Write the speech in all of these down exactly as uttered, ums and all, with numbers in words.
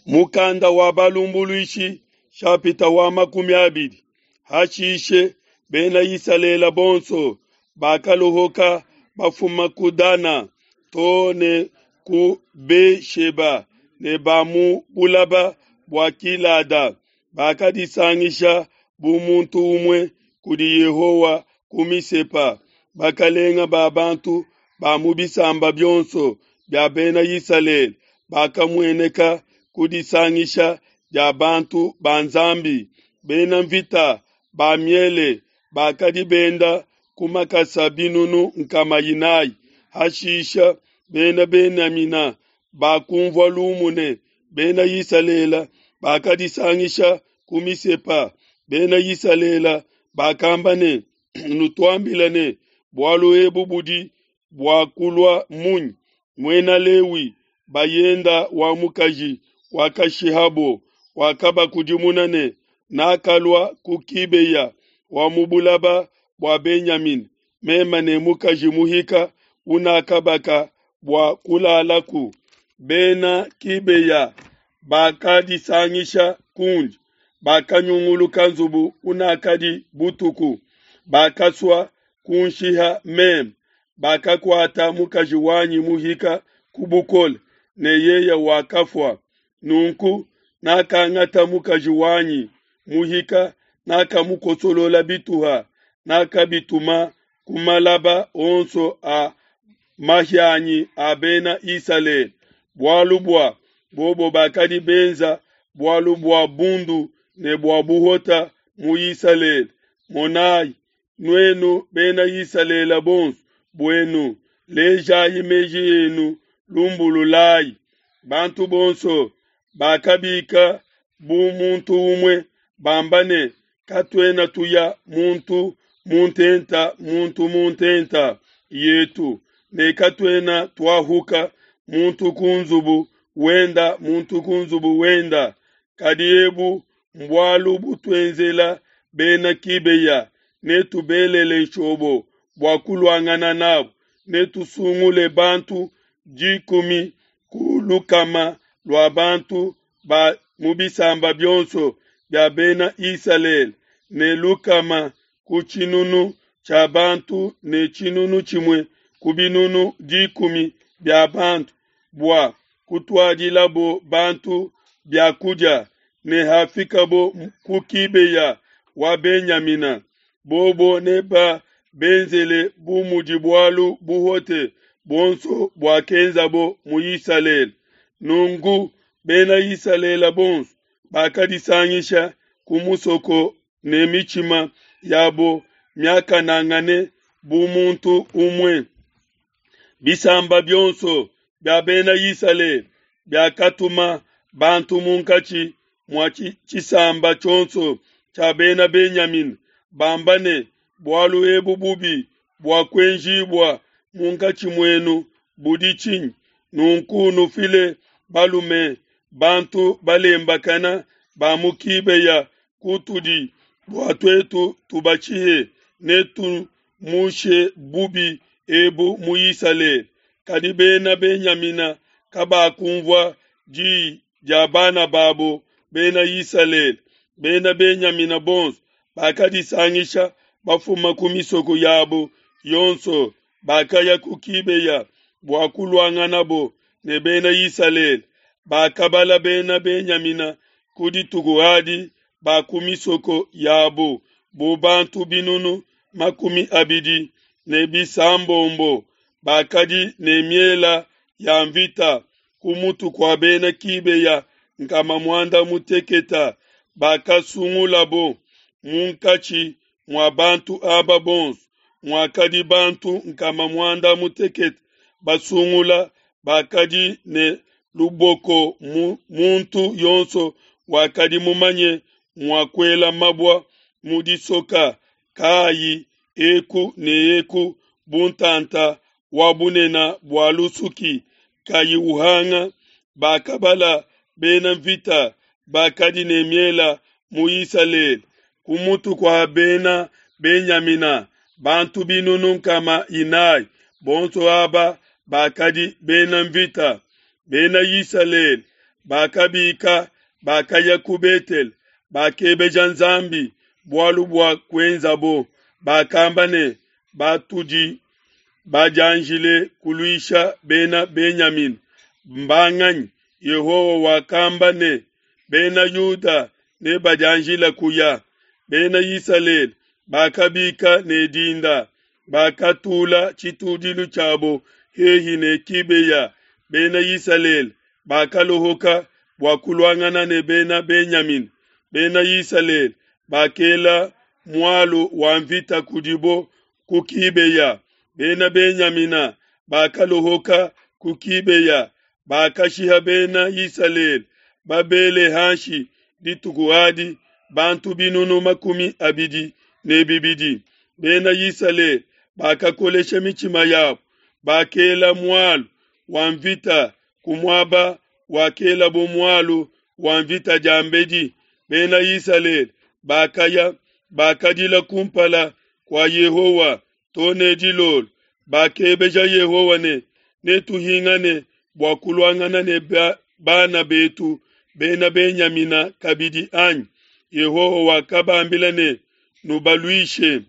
Mukanda wa Balumbuluishi nshapita wa makumi abidi. Hashishe Bena Isalele bonso bakalohoka bafuma ku Dana to ne ku Be-sheba ne ba mu bulaba bua Gilada, bakadisangisha bu muntu umue kudi Yehowa ku Misepa. Bakelenge ba bantu ba mu bisamba bionso bia Bena Isalele bakamueneka ku disangisha dia bantu ba Nzambi. Bena nvita ba miele bakadi benda ku makasa binunu nkama inai. Hashishe Bena Benyamina bakunvua lumu ne, Bena Isalele bakadisangisha ku Misepa. Bena Isalele bakamba ne, Nutuambile ne, bualu ebu budi bua kulua munyi? Muena Lewi, bayende wa mukaji wakashihabo, wakabakudimuna ne, Nakalua ku Gibea wa mu bulaba bua Benyamina, meme ne mukaji muhika unakabaka bua kulalaku. Bena Gibea bakadisangisha kundi, bakanyunguluka nzubu unakadi butuku, bakasua kunshiha meme, bakakuata mukaji wanyi muhika ku bukole, ne yeye wakafua. Nunku nakangata mukaji wanyi muhika, nakamukosolola bituha, nakabituma ku malaba onso a mahianyi a Bena Isalele, bualu bua bobo bakadi benza bualu bua bundu ne bua buhota mu Isalele. Monai, nuenu Bena Isalele bonso buenu, lejai meji enu, lumbululai. Bantu bonso bakabika bu muntu umue, bamba ne, Katuena tuya muntu mu ntenta muntu mu ntenta yetu, ne katuena tuahuka muntu ku nzubu wenda muntu ku nzubu wenda. Kadi ebu mbualu butuenzela Bena Gibea, netubelele nshobo bua kuluangana nabo, netusungule bantu dikumi ku lukama lua bantu ba mu bisamba bionso bia Bena Isalele, ne lukama ku tshinunu tshia bantu ne tshinunu tshimue ku binunu dikumi bia bantu, bua kutuadilabo bantu bia kudia. Ne hafikabo ku Gibea wa Benyamina, bobo nebabenzele bu mudi bualu buhote buonso buakenzabo mu Isalele. Nunku Bena Isalele bonso bakadisangisha ku musoko ne mitshima yabo miakanangane bu muntu umue. Bisamba bionso bia Bena Isalele biakatuma bantu munkatshi mua tshisamba tshionso tshia Bena Benyamina, bamba ne, bualu ebu bubi buakuenjibua munkatshi muenu budi tshinyi? Nunku nufile balume bantu balembakana ba mu Gibea kutudi, bua tuetu tubashihe, ne tumushe bubi ebu mu Isalele. Kadi Bena Benyamina kabakunvua di dia bana babo Bena Isalele. Bena Benyamina bonso bakadisangisha bafuma ku misoko yabo yonso, bakaya ku Gibea bua kuluanganabo ne Bena Isalele. Bakabala Bena Benyamina ku dituku adi ba ku misoko yabo bu bantu binunu makumi abidi ne bisambombo bakadi ne miela ya nvita ku mutu kua Bena Gibea nkama muanda mutekete bakasungulabo munkatshi mua bantu aba bonso muakadi bantu nkama muanda mutekete basungula bakadi ne luboko muntu yonso wakadi mumanye mua kuela mabua mu disoka kayi eku ne eku bu ntanta wa bunene bua lusuki kayi uhanga. Bakabala bena nvita bakadi ne miela mu Isalele ku mutu kua Bena Benyamina bantu binunu nkama inai, bonso aba bakadi bena nvita. Bena Isalele Bakabika, bakaya ku Betele, bakebeja Nzambi bualu bua kuenzabo. Bakamba ne, Batudi badianjile kuluisha Bena Benyamina mbanganyi? Yehowa wakamba ne, Bena Yuda nebadianjile kuya. Bena Isalele bakabika ne dinda, bakatula tshitudilu tshiabo hehi ne Kibeya. Bena Isalele bakalohoka bua kuluangana ne Bena Benyamina. Bena Isalele bakela mualu wa mvita kudibo ku Kibeya. Bena Benyamina bakalohoka ku Kibeya, bakashiha Bena Isalele babele hanshi dituku adi bantu binunu makumi abidi ne bibidi. Bena Isalele bakakolesha mitshima yabo, bakela mualu wa mvita ku muaba wakelabo mualu wa mvita diambedi. Bena Isalele bakaya, bakadila kumpala kua Yehowa to ne dilolo. Bakebeja Yehowa ne, Netuhingane bua kuluangana ne bana betu Bena Benyamina kabidi, anyi? Yehowa wakabambila ne, Nubaluishe.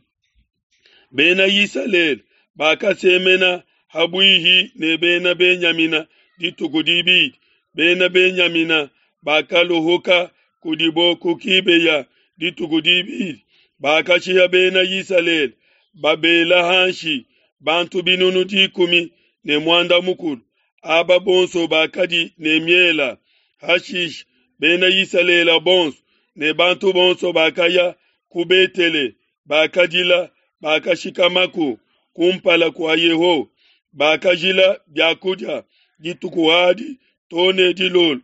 Bena Isalele bakasemena ha buihi ne Bena Benyamina dituku dibidi. Bena Benyamina bakalohoka kudibo ku Kibeya dituku dibidi. Bakashiha Bena Isalele babela hanshi bantu binunu dikumi ne muanda mukulu, aba bonso bakadi ne miela. Hashishe Bena Isalele bonso ne bantu bonso bakaya ku Betele, bakadila, bakashikamaku kumpala kua Yehowa. Bakajila bia kudia dituku adi to ne dilolo.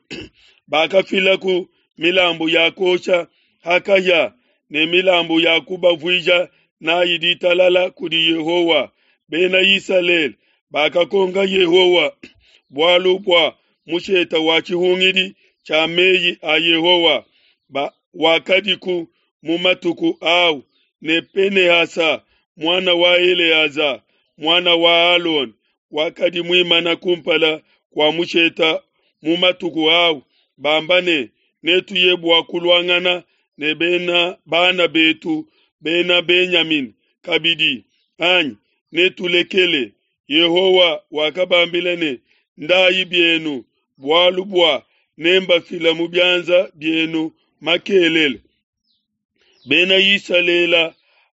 Bakafilaku milambu ya kuosha ha kahia ne milambu ya kubavuija nayi ditalala kudi Yehowa. Bena Isalele bakakonka Yehowa bualu bua mushete wa tshihungidi tshia meyi a Yehowa wakadiku mu matuku au, ne Pinehasa muana wa Eleaza muana wa Alona wakadi muimana kumpala kua mushete mu matuku au, bamba ne, Netuye bua kuluangana ne bena bana betu Bena Benyamina kabidi, anyi netulekele? Yehowa wakabambila ne, Ndayi bienu, bualu bua nembafile mu bianza bienu makelele. Bena Isalele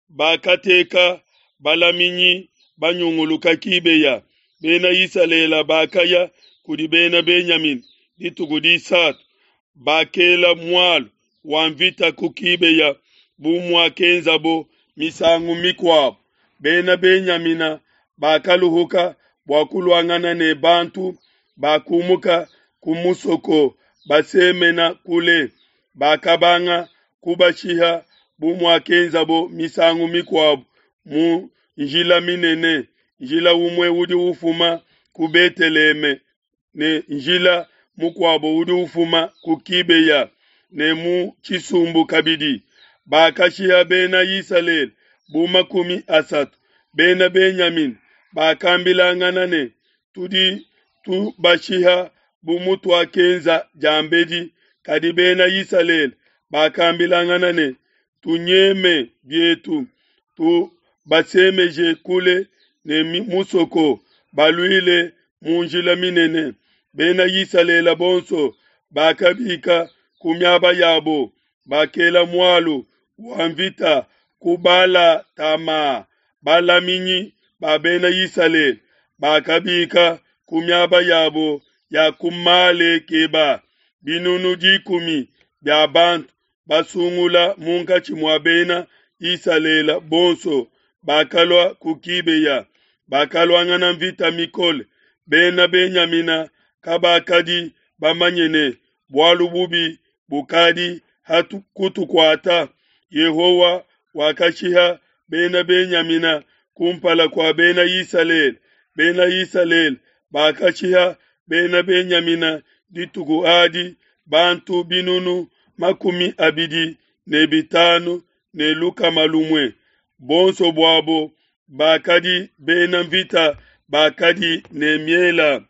bakateka balaminyi banyunguluka Kibeya. Bena Isalele bakaya kudi Bena Benyamina dituku disatu, bakela mualu wa mvita ku Kibeya bu muakenzabo misangu mikuabo. Bena Benyamina bakaluhuka bua kuluangana ne bantu bakumuka ku musoko basemena kule, bakabanga kubashiha bu muakenzabo misangu mikuabo mu njila minene, njila umue udi ufuma ku Beteleme ne njila mukuabo udi ufuma ku Kibeya ne mu tshisumbu kabidi. Bakashiha Bena Isalele bu makumi asatu. Bena Benyamina bakambilangana ne, Tudi tubashiha bu mutuakenza diambedi. Kadi Bena Isalele bakambilangana ne, Tunyeme bietu, tubasemeje kule ne musoko, baluile mu njila minene. Bena Isalele bonso bakabika ku miaba yabo, bakela mualu wa mvita ku Bala-tama. Balaminyi ba Bena Isalele bakabika ku miaba yabo ya ku Malekeba, binunu dikumi bia bantu basungula munkatshi mua Bena Isalele bonso bakalua ku Kibeya, bakaluangana mvita mikole. Bena Benyamina kabakadi bamanye ne bualu bubi bukadi kutukuata. Yehowa wakashiha Bena Benyamina kumpala kua Bena Isalele. Bena Isalele bakashiha Bena Benyamina dituku adi bantu binunu makumi abidi ne bitanu ne lukama lumue. Bonso buabo bakadi bena mvita bakadi ne miela.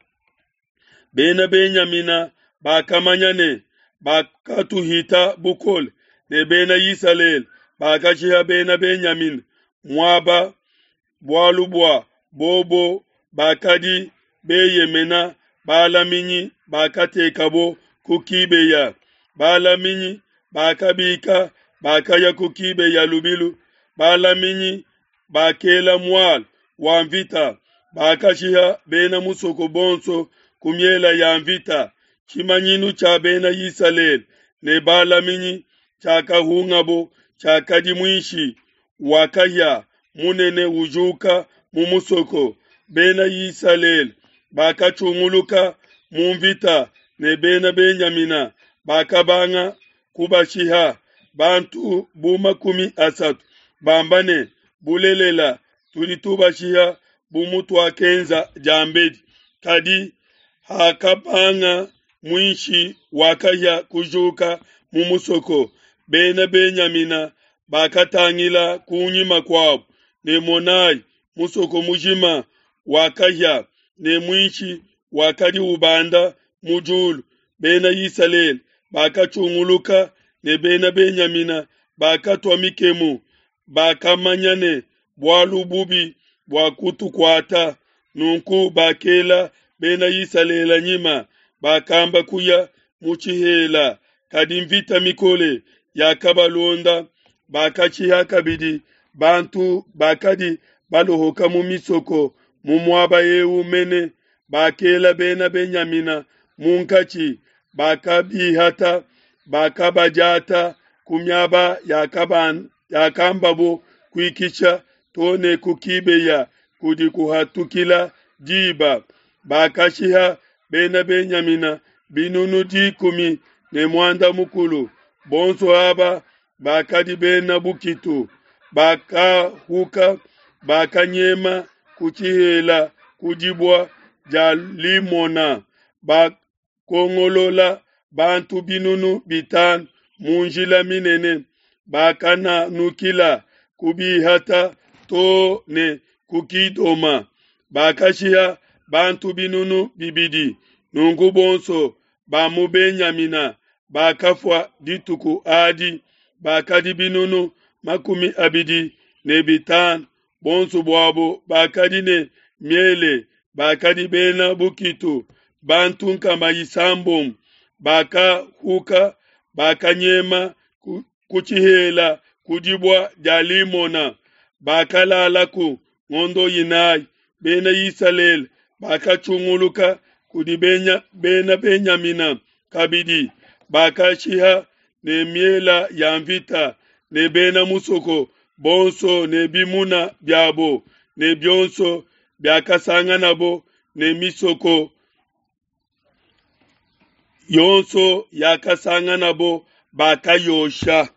Bena Benyamina bakamanya ne, Bakatuhita bukole, ne Bena Isalele bakashiha Bena Benyamina muaba, bualu bua bobo bakadi beyemena balaminyi bakatekabo ku Kibeya. Balaminyi bakabika, bakaya ku Kibeya lubilu. Balaminyi bakela mualu wa nvita, bakashiha bena musoko bonso ku miele ya nvita. Tshimanyinu tshia Bena Isalele ne balaminyi tshiakahungabo tshiakadi muishi wa kahia munene ujuka mu musoko. Bena Isalele bakatshunguluka mu nvita ne Bena Benyamina bakabanga kubashiha, bantu bu makumi asatu, bamba ne, Bulelela, tudi tubashiha bu mutuakenza diambedi. Kadi hakabanga muishi wa kahia kujuka mu musoko, Bena Benyamina bakatangila ku nyima kuabo, ne monai, musoko mujima wakahia, ne muishi wakadi ubanda mu diulu. Bena Isalele bakatshunguluka ne Bena Benyamina bakatua mikemu, bakamanya ne, Bualu bubi buakutukuata. Nunku bakela Bena Isalele nyima, bakamba kuya mu tshihela, kadi nvita mikole yakabalonda. Bakashiha kabidi bantu bakadi baluhuka mu misoko mu muaba eu mene. Bakela Bena Benyamina munkatshi, bakabihata, bakabadiata ku miaba yakambabo kuikisha to ne ku Kibeya kudi kuhatukila diba. Bakashiha Bena Benyamina binunu dikumi ne muanda mukulu, bonso aba bakadi bena bukitu. Bakahuka, bakanyema ku tshihela ku dibue dia Limona, bakongolola bantu binunu bitanu mu njila minene, bakananukila kubihata to ne ku Kidoma, bakashiha bantu binunu bibidi. Nunku bonso ba mu Benyamina bakafua dituku adi bakadi binunu makumi abidi ne bitanu, bonso buabo bakadi ne miele, bakadi bena bukitu, bantu nkama isambombo bakahuka, bakanyema ku tshihela ku dibue dia Limona, bakalalaku ngondo inayi. Bena Isalele bakatshunguluka kudi Bena Benyamina kabidi, bakashiha ne miele ya nvita ne bena musoko bonso ne bimuna biabo ne bionso biakasanganabo ne misoko yonso yakasanganabo bakayosha.